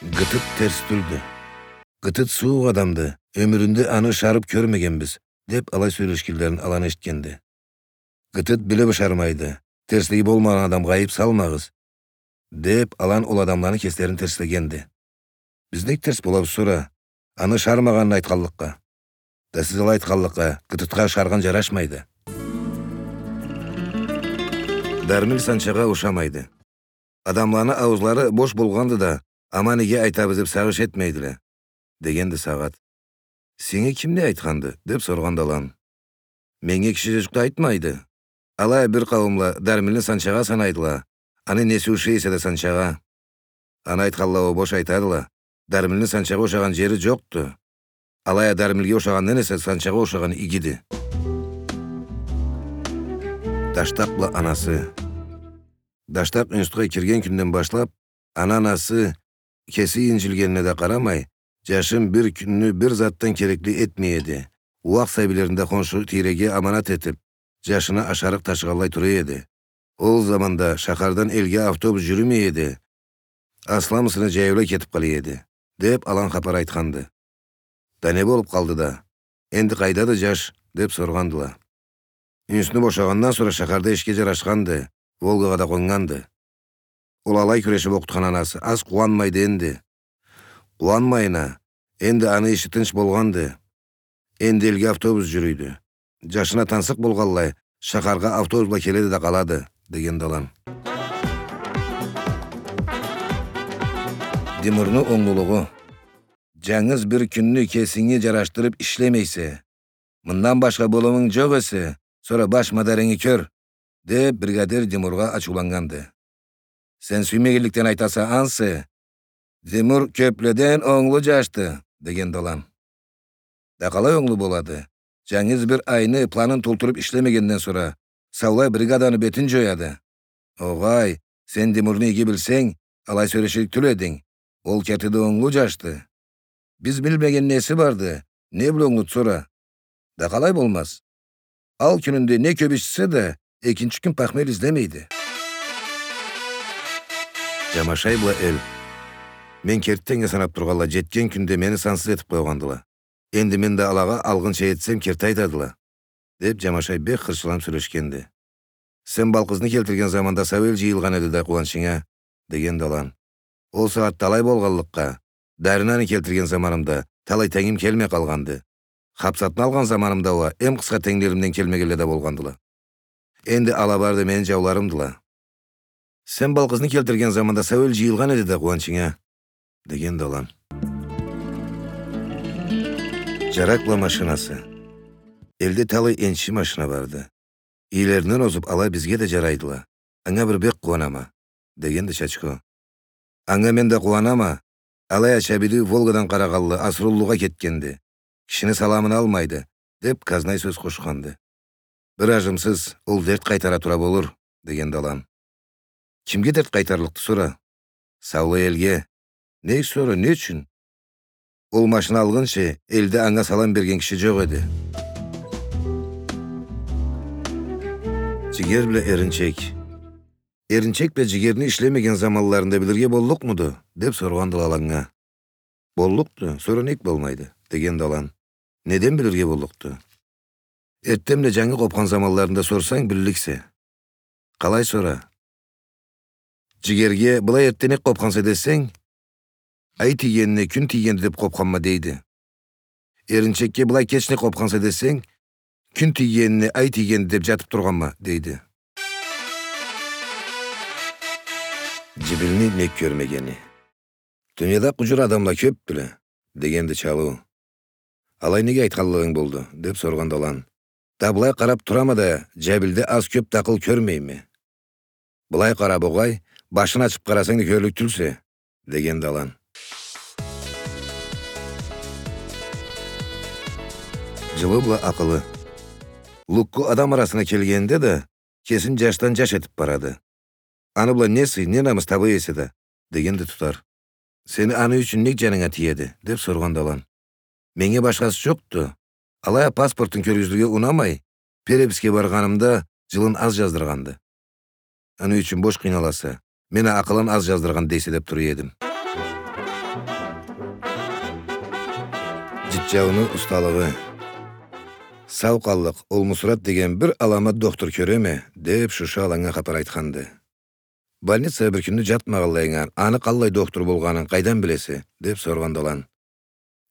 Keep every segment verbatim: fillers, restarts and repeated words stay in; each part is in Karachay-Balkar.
Гытыт терс тюлдю. Гытыт сууукъ адамды, ёмюрюнде аны ышарып кёрмегенбиз, — деп алай сёлешгенлерин алан эшитгенди. Гытыт билип ышармайды, терслиги болмагъан адамгъа айып салмагъыз, — деп алан ол адамланы кеслерин терслегенди. Биз нек терс болабыз сора? Аны ышармагъанын айтханлыкъгъа. Да сиз алай айтханлыкъгъа, гытытха ышаргъан жарашмайды. Дармил санчагъа ушамайды. Адамланы ауузлары бош болгъанды да, ама неге айтабыз деп сагъыш этмейдиле, — дегенди сагъат. Сеннге ким не айтханды? — деп соргъанды алан. Меннге киши жюжюк да айтмайды. Алай а бир къауумла дармилни санчагъа санайдыла, аны неси ушай эсе да санчагъа. Аны айтханла уа бош айтадыла. Дармилни санчагъа ушагъан жери жокъду. Алай а дармилге ушагъандан эсе санчагъа ушагъан игиди. Даштакъ бла анасы. Даштакъ институтха кирген кюнден башлап, аны анасы кеси инджилгенине да къарамай, жашын бир кюнню бир затдан керекли этмей эди. Ууакъ сабийлерин да хоншу тийреге аманат этип, жашына ашарыкъ ташыгъанлай тура эди. Ол заманда шахардан элге автобус жюрюмей эди. Асламысыны жаяулай кетип къала эди, — деп алан хапар айтханды. Да не болуп къалды да? Энди къайдады жаш? — деп соргъандыла. Институтну бошагъандан сора шахарда ишге жарашханды, Волгагъа да къоннганды. Ол алай кюрешип окъутхан анасы аз къууанмайды энди. Къууанмайын а, энди аны иши тынч болгъанды. Энди элге автобус жюрюйдю. Жашына тансыкъ болгъанлай, шахаргъа автобус бла келеди да къалады, — дегенди алан. Димурну онглулугъу. Жангыз бир кюнню кесинге жарашдырып ишлемейсе, мындан башха болумунг жокъ эсе, сора баш мадарингни кёр, — деп бригадир Димургъа ачыуланнганды. Сен сюймегенликден айтаса ансы, Димур кёпледен онглу жашды, — дегенди алан. Да къалай онглу болады? Жангыз бир айны планын толтуруп ишлемегенден сора, саулай бригаданы бетин жояды. Огъай, сен Димурну иги билсенг, алай сёлеширик тюл эдинг. Ол керти да онглу жашды. Биз билмеген неси барды, не бла онглуду сора? Да къалай болмаз? Ал кюнюнде не кёп ичсе да, экинчи кюн похмель излемейди. Жамашай бла эл. Мен керти теннге санап тургъанлай, жетген кюнде мени сансыз этип къойгъандыла. Энди мен да алагъа алгъынча этсем, керти айтадыла, — деп Жамашай бек хырчыланып сёлешгенди. Сен Балкъызны келтирген заманда сау эл жыйылгъан эди да къууанчынга, — дегенди алан. Ол сагъатда алай болгъанлыкъгъа, Даринаны келтирген заманымда талай тенгим келмей къалгъанды. Хапсатны алгъан заманымда уа эм къысха тенглеримден келмегенле да болгъандыла. Энди ала бары да мени жауларымдыла. Сен Балкъызны келтирген заманда сау эл жыйылгъан эди да къууанчынга, — дегенди алан. Жарак бла машинасы. Элде талай энчи машина барды. Ийлеринден озуп, ала бизге да жарайдыла. Анга бир бек къууанама, — дегенди Чачхо. Анга мен да къууанама, алай а Чабиди Волгадан къарагъанлы Асыруллугъа кетгенди. Кишини саламын алмайды, — деп Казнай сёз къошханды. Бир ажымсыз, ол дерт къайтара тура болур, — дегенди алан. Кимге дерт къайтарлыкъды сора? Саулай элге. Не сора, не ючюн? Ол машина алгъынчы элде анга салам берген киши жокъ эди. Жигер бла эринчек. Эринчек бла жигерни ишлемеген заманларында билирге боллукъмуду? — деп соргъандыла аланнга. Боллукъду, сора нек болмайды? — дегенди алан. Неден билирге боллукъду? Эртден бла жангы къопхан заманларында сорсанг, билликсе. Къалай сора? Жигерге былай эртден нек къопханса десенг, ай тийгенине кюн тийгенди деп къопханма, дейди. Эринчекге былай кеч нек къопханса десенг, кюн тийгенине ай тийгенди деп жатып тургъанма, дейди. Жибилни нек кёрмегени. Дунияда къужур адамла кёпдюле, — дегенди Чалыу. Алай неге айтханлыгъынг болду? — деп соргъанды алан. Да былай къарап турама да, Жабилде аз-кёп да акъыл кёрмейме. Былай къара, богъай, башын ачып къарасанг да кёрлюк тюлсе, — дегенди алан. Жылы бла акъылы. Лукку адам арасына келгенинде да, кесин жашдан жаш этип барады. Аны бла не сый, не намыс таба эсе да, — дегенди Тутар. Сени аны ючюн нек жанынга тиеди? — деп соргъанды алан. Меннге башхасы жокъду. Алай а паспортун кёргюзюрге унамай, переписке баргъанымда жылын аз жаздыргъанды. Аны ючюн бош къыйналаса, мен а акъылын аз жаздыргъан дейсе деп тура эдим. Джитджауну усталыгъы. Сау къаллыкъ, ол Мусурат деген бир аламат дохтур кёреме, — деп Шушу Аланнга хапар айтханды. Больницада бир кюнню джатмагъанлайынган, аны къаллай дохтур болгъанын къайдан билесе? — деп соргъанды Алан.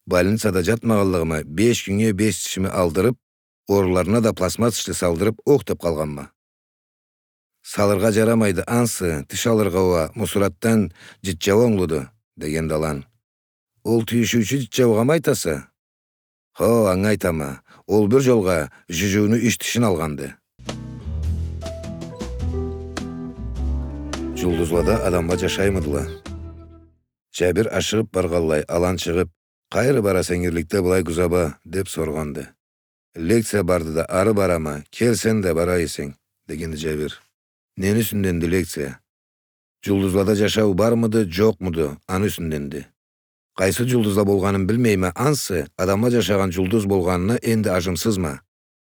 Больницада джатмагъанлыгъыма беш кюннге беш тишими алдырып, орунларына да пластмасс тишли салдырып, ох деп къалгъанма. Салыргъа джарамайды ансы, тиш алыргъа уа Мусуратдан Джитджау онглуду, — дегенди Алан. Ол тюйюшюучю Джитджаугъамы айтаса? Хо, анга айтама. Ол бир джолгъа Джуджуну юч тишин алгъанды. Джулдузлада адамла джашаймыдыла? Джабир ашыгъып баргъанлай, Алан чыгъып: «Къайры бараса ингирликде былай гузаба?» — деп соргъанды. «Лекция барды да, ары барама, кел, сен да бара эсенг», — дегенди Джабир. «Нени юсюнденди лекция?» «Джулдузлада джашау бармыды, джокъмуду, аны юсюнденди. Къайсы джулдузла болгъанын билмейме, ансы адамла джашагъан джулдуз болгъанына энди ажымсызма».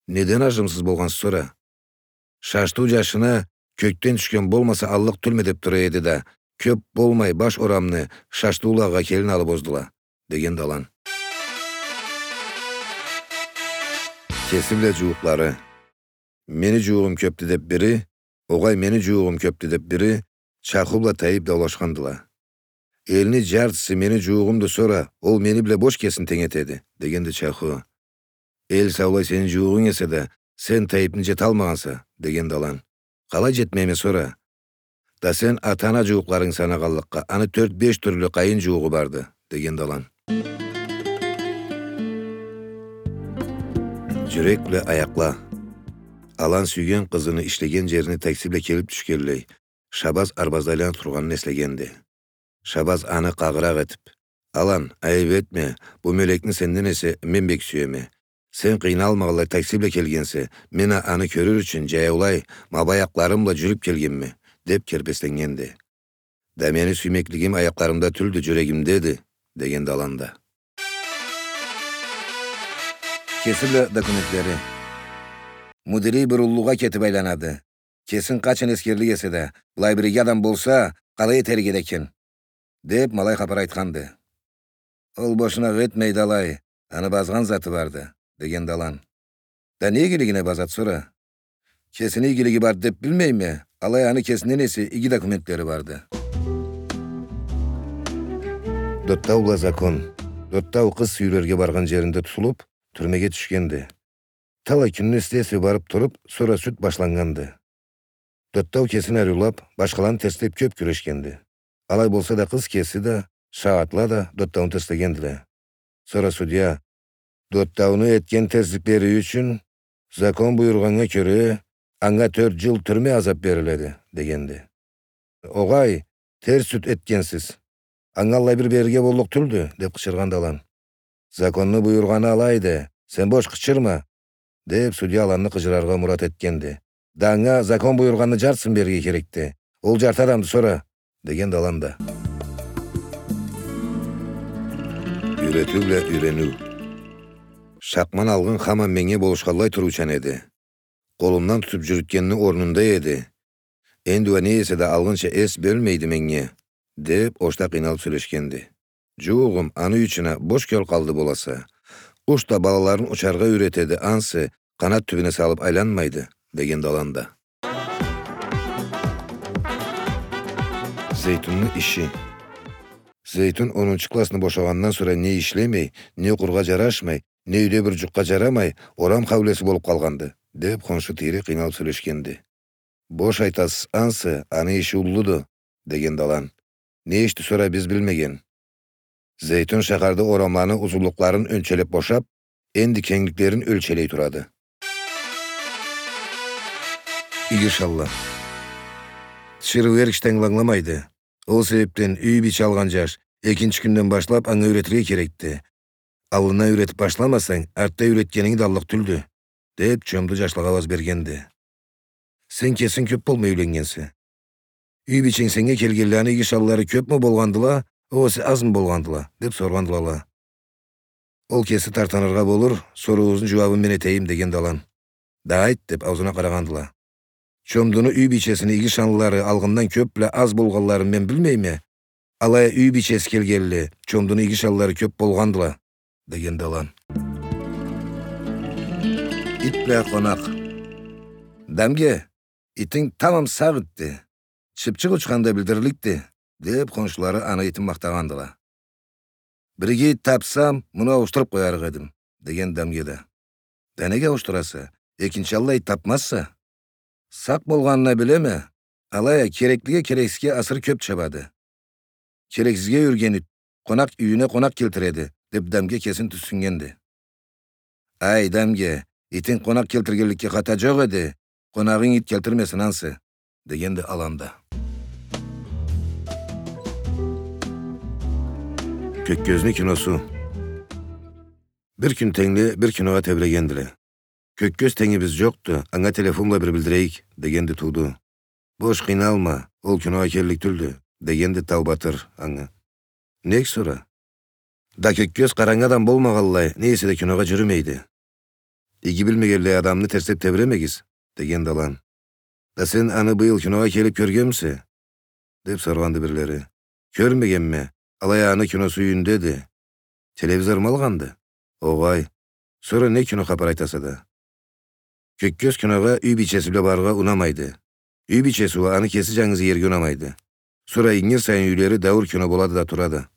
«Неден ажымсыз болгъанса сора?» «Шаштыу джашына кёкден тюшген болмаса аллыкъ тюлме деп тура эди да, кёп болмай баш орамны Шаштыулагъа келин алып оздула», — дегенди Алан. Кеси бла джууукълары. «Мени джуугъум кёпдю», — деп бири, «Огъай, мени джуугъум кёпдю», — деп бири, Чаху бла Тайып даулашхандыла. «Элни джартысы мени джуугъумду, сора ол мени бла бош кесин тенг этеди», — дегенди Чаху. «Эл саулай сени джуугъунг эсе да, сен Тайыпны джеталмагъанса», — дегенди Алан. «Къалай джетмейме сора?» «Да сен ата-ана джууукъларынгы санагъанлыкъгъа, аны тёрт-беш тюрлю къайын джууукъ барды», — дегенди Алан. Джюрек бла аякъла. Алан сюйген къызыны ишлеген джерине такси бла келип тюшгенлей, Шабаз арбазда айланып тургъанын эслегенди. Шабаз аны къагъыракъ этип: «Алан, айып этме, бу мёлекни сенден эсе мен бек сюеме. Сен къыйналмагъанлай такси бла келгенсе, мен а аны кёрюр ючюн джаяулай, ма бу аякъларым бла джюрюп келгенме», — деп кербесленнгенди. «Да мени сюймеклигим аякъларымда тюлдю, джюрегимдеди», — дегенди Алан да. Кеси бла документлери. Мудири бир уллугъа кетип айланады. Кесин къачан эсгерлик эсе да, былай бир иги адам болса, къалай этерик эди экен? — деп, ма алай хапар айтханды. — Ол бошуна ых этмейди алай, аны базгъан заты барды, — дегенди Алан. — Да не игилигине базады сора? Кесини игилиги барды деп билмейме, алай аны кесинден эсе иги документлери барды. Доттау бла Закон. Доттау къыз сюйюлерге баргъан джеринде тутулуп, тюрмеге тюшгенди. Талай кюнню следствие барып туруп, сора сюд башланнганды. Доттау кесин ариулап, башхаланы терслеп кёп кюрешгенди. Алай болса да, къыз кеси да, шагъатла да Доттауну терслегендиле. Сора судья: «Доттауну этген терсликлери ючюн, закон буюргъаннга кёре, анга тёрт джыл тюрме азап бериледи», — дегенди. «Огъай, терс сюд этгенсиз. Анга аллай бир берирге боллукъ тюлдю», — деп къычыргъанды Алан. «Законну буюргъаны алайды, сен бош къычырма», — деп, судья Аланны къыжыраргъа мурат этгенди. «Да анга закон буюргъанны джартысын берирге керекди. Ол джарты адамды сора», — дегенди Алан да. Юйретиу бла юйрениу. Шакъман алгъын хаман меннге болушханлай туруучан эди. Къолумдан тутуп джюрютгенни орнунда эди. Энди уа не эсе да алгъынча эс бёлмейди меннге, — деп, ошда къыйналып сёлешгенди. — Джууугъум, аны ючюн а бош кёл къалды боласа. Къуш да балаларын учаргъа юйретеди ансы, къанат тюбюне салып айланмайды, — дегенди Алан да. Зейтунну иши. Зейтун онунчу классны бошагъандан сора не ишлемей, не окъургъа джарашмай, не юйде бир джукъгъа джарамай, орам хаулеси болуп къалгъанды, — деп, хоншу тийре къыйналып сёлешгенди. — Бош айтасыз ансы, аны иши уллуду, — дегенди Алан. — Не ишди сора биз билмеген? Зейтун шахарда орамланы узунлукъларын ёнчелеп бошап, энди кенгликлерин ёлчелей турады. Иги шанла. Тиширыу эр кишиден ангыламайды. Ол себепден юй бийче алгъан джаш экинчи кюнден башлап анга юйретирге керекди. Аллындан юйретип башламасанг, артда юйретгенинг да аллыкъ тюлдю, — деп, чомду джашлагъа ауаз бергенди. — Сен кесинг кёп болмай юйленнгенсе. Юй бийченг сеннге келгенлей аны иги шанлары кёпмю болгъандыла, огъесе азмы болгъандыла? — деп соргъандыла ала. — Ол кеси тартыныргъа болур, сорууугъузну джууабын мен этейим, — дегенди Алан. — Да айт, — деп, ауузуна къарагъандыла. — Чомдуну юй бийчесини иги шанлары алгъындан кёп бла аз болгъанларын мен билмейме. Алай а юй бийчеси келгенлей, чомдуну иги шанлары кёп болгъандыла. — дегенди алан. Ит бла къонакъ. — Дамге, итинг тамам сакъ итди. Чыпчыкъ учханда билдирликди, — деп, хоншулары аны итин махтагъандыла. — Бир иги ит тапсам, муну ауушдуруп къоярыкъ эдим, — деген Дамге да. — Да неге ауушдураса? Экинчи аллай ит тапмазса. — Сакъ болгъанын а билеме, алай а кереклиге керексизге асыры кёп чабады. Керексизге юрген ит къонакъ юйюне къонакъ келтиреди, — деп Дамге кесин тюсюннгенди. — Ай, Дамге, итинг къонакъ келтиргенликге хата жокъ эди, къонагъынг ит келтирмесин ансы, — дегенди алан да. Кёккёзню киносу. Бир кюн тенгли бир киногъа тебирегендиле. — Кёккёз тенгибиз жокъду, анга телефон бла бир билдирейик, — дегенди Тууду. — Бош, къыйналма, ол киногъа келлик тюлдю, — дегенди Тау Батыр анга. — Нек сора? — Да Кёккёз къарангы адам болмагъанлай, не эсе да киногъа жюрюмейди. — Иги билмегенлей адамны терслеп тебиремегиз, — дегенди алан. — Да сен аны быйыл киногъа келип кёргенмисе? — деп соргъанды бирлери. — Кёрмегенме, алай а аны киносу юйюндеди. — Телевизорму алгъанды? — Огъай. — Сора не кино хапар айтаса да? — Кёккёз киногъа юй бийчеси бла барыргъа унамайды. Юй бийчеси уа аны кеси жангыз иерге унамайды. Сора ингир сайын юйлери дауур кино болады да турады.